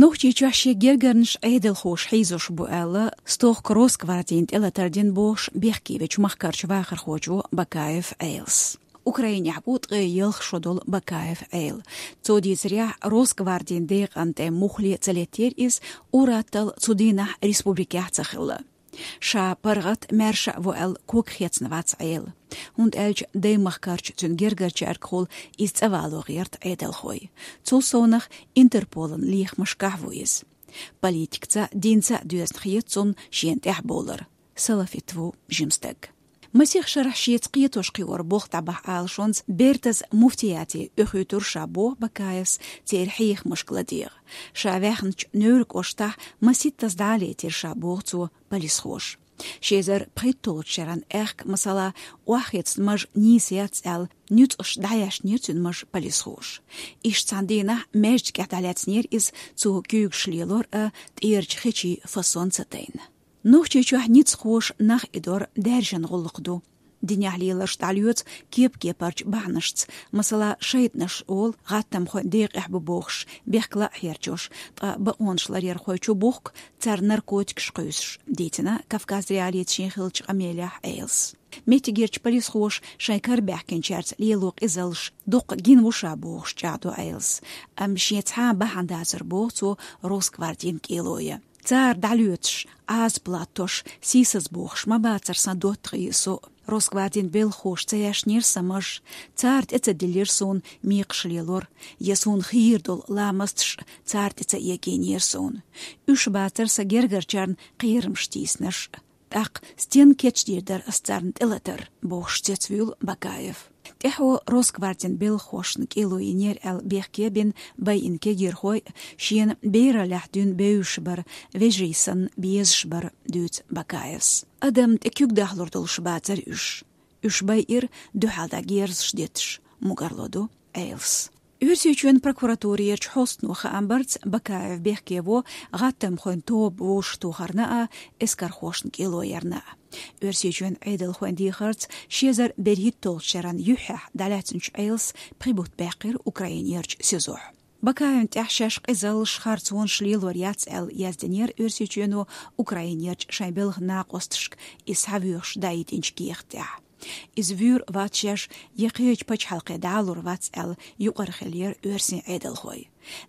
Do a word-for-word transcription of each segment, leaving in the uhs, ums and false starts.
Нохчийчохь шен гергарнаш Ӏедалхоша хьийзош бу аьлла, стохка Росгвардин тӀелатар дина бохуш бехке вечу махкарчу вахархочо Бакаев Ӏелас. Украинехь бу ткъе ялх шо долу Бакаев Ӏела. Цо дийцарехь, Росгвардин декъан тӀе муххале а ца леттера иза, ур-атталла цу дийнахь республикехь а ца хилла. Ша паргӀат, маьрша а ву аьлла, ког хецна вац Ӏела. ХӀунда аьлча даймахкарчу цуьнан гергарчаьргахула иза цӀа вало гӀерта Ӏедалхой. Цул совнах Интерполан лехамашкахь ву иза. Политикаца а, динца а доьзна хета цунна шена тӀаьхьабовлар. Салафит ву жима стаг. Масех шарахь шеца кхетош кхиор болх дӀабахьа алашонца бертаза муфтияте оьхуьйтура ша боху Бакаевс церан хьехамашка ладегӀа. Ша ваьхначу Невран кӀоштахь маситтаза дӀа а летира ша боху цо полисхоша. Ши эзар пхийтталгӀачу шеран аьхка, масала, охьахецна маж нийса яц аьлла, нуьцкъаш дӀаяьшнера цуьнан маж полисхоша. Иштта цхьана дийнахь маьждигехь дӀалаьцнера иза, цо куьйгаш лелор а, тӀерачу хечийн фасон ца тайна. Нохчийчохь ницкъахоша нах идор даьржина гӀуллакх ду. Динехь леларш дӀалоьцу кеп-кепарчу бахьанашца, масала, шайтӀанаш олу гӀаттамхойн декъехь бу бохуш, бехкала а хьерчош, ткъа бакъонаш ларъярхой чу бухку царна наркотикаш кхуьйсуш, дийцина Кавказ Реалиица шен хиллачу къамелехь Ӏелас. Меттигерчу полисхоша шайн кара баьхкинчаьрца лело къизаллаш дуккха гина ву ша бохуш чӀагӀдо Ӏелас, амма шен цхьа а бахьана дацара боху цо Росгвардин кӀело ян. Цара дӀалоьцуш, Ӏазап латтош, сийсаз бохуш ма бацара сан доттагӀий, со а. Росгвардин белхахоша ца яьшнера сан маж, цара тӀе ца диллира суна мекхаш лелор, я суна хийра долу ламасташ цара тӀе ца эгийнера суна. Уьш бацара сан гергарчарна кхерамаш тийсинарш. ТӀаккха стенна кечдийр дара ас царна тӀелатар, бохуш цецвуьйлу Бакаев. ТӀаьхьо Росгвардин белхахошна кӀело йинера аьлла бехке а бина байина кегийрхой а, шена бераллехь дуьйна бевзаш бара, вежарий санна безаш бара, дуьйцу Бакаевс. Адам тӀе куьг дахлур долуш бацара уьш. Уьш байира дуьхьал дӀа герзаш детташ, мугарло ду Ӏелас. Оьрсийчоьнан прокуратурерчу хьостано хаам барца Бакаев бехке во гӀаттамхойн тоба вовшахтохарна а, эскархошна кӀело ярна а. Оьрсийчоьнан Ӏедалхойн дехарца ши эзар берхӀитталгӀачу шеран юьххьехь дӀалаьцначу Ӏелас пхи бутт баьккхира Украинерчу СИЗО-хь. Бакаевна тӀехь шаьш къизаллаш, харцонаш лелор яц аьлла яздинера Оьрсийчоьно Украинерчу шайн белхан накъосташка иза схьавоьхуш даийтинчу кехат тӀехь. Иза вуьйр вац шаьш, я кхечу пачхьалкхе дӀалур вац аьлла, юкъара хиллера оьрсийн Ӏедалхой.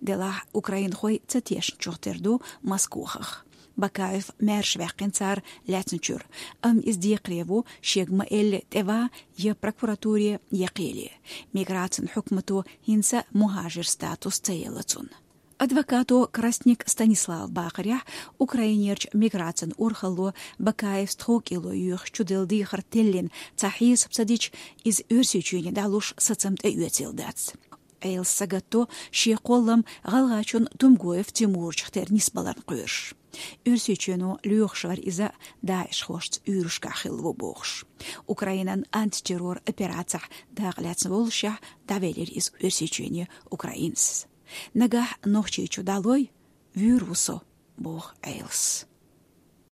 Делахь украинхой ца тешначух тера ду Москвахах. Бакаев маьрша ваьккхина цара лаьцначуьра, амма иза декхаре ву, шега ма-элли тӀе ван я прокуратуре, я кхеле. Миграцин хьукмато хӀинца мухӀажир статус ца елла цунна. Адвокато Красник Станислава бахарехь, Украинерчу миграцин урхалло Бакаевс тхов кӀело йоьхуш чуделла дехар теллина цхьа хьесап ца дича, иза Оьрсийчоьне дӀалуш сацам тӀеоьцийла дац. Ӏелас сагатдо шен кхоллам ГӀалгӀайчоьнан Тумгоев Тимурчух тера нисбаларна кхоьруш. Оьрсийчоьно лоьхуш вара иза ДАИШ-хошца уьйрашкахь хилла ву бохуш. Украинан антитеррор операцехь дакъа лаьцна воллушехь, дӀавелира иза Оьрсийчоьне Украинас. Нагахь Нохчийчу дӀалой, вуьйр ву со, боху Ӏелас.